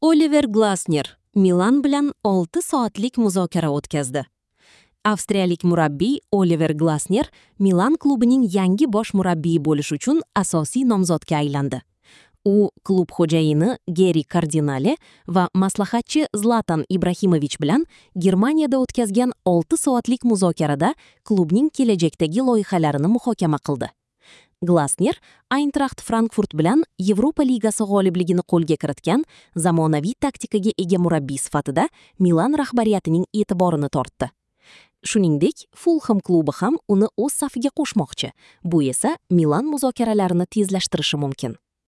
Oliver Glasner Milan bilan 6 soatlik muzokara o'tkazdi. Avstriyalik murabbiy Oliver Glasner Milan klubining yangi bosh murabbiyi bo'lish uchun asosiy nomzodga aylandi. U klub xo'jayini Geri Kardinale va maslahatchi Zlatan Ibrahimovich bilan Germaniyada o'tkazgan 6 soatlik muzokarada klubning kelajakdagi loyihalarini muhokama qildi. Glasner Eintracht Frankfurt bilan Yevropa Ligasi g'olibligini qo'lga kiritgan zamonaviy taktikaga ega murabbiy sifatida Milan rahbariyatining e'tiborini tortdi. Shuningdek, Fulham klubi ham uni o'z safiga qo'shmoqchi. Bu esa Milan muzokaralarini tezlashtirishi mumkin.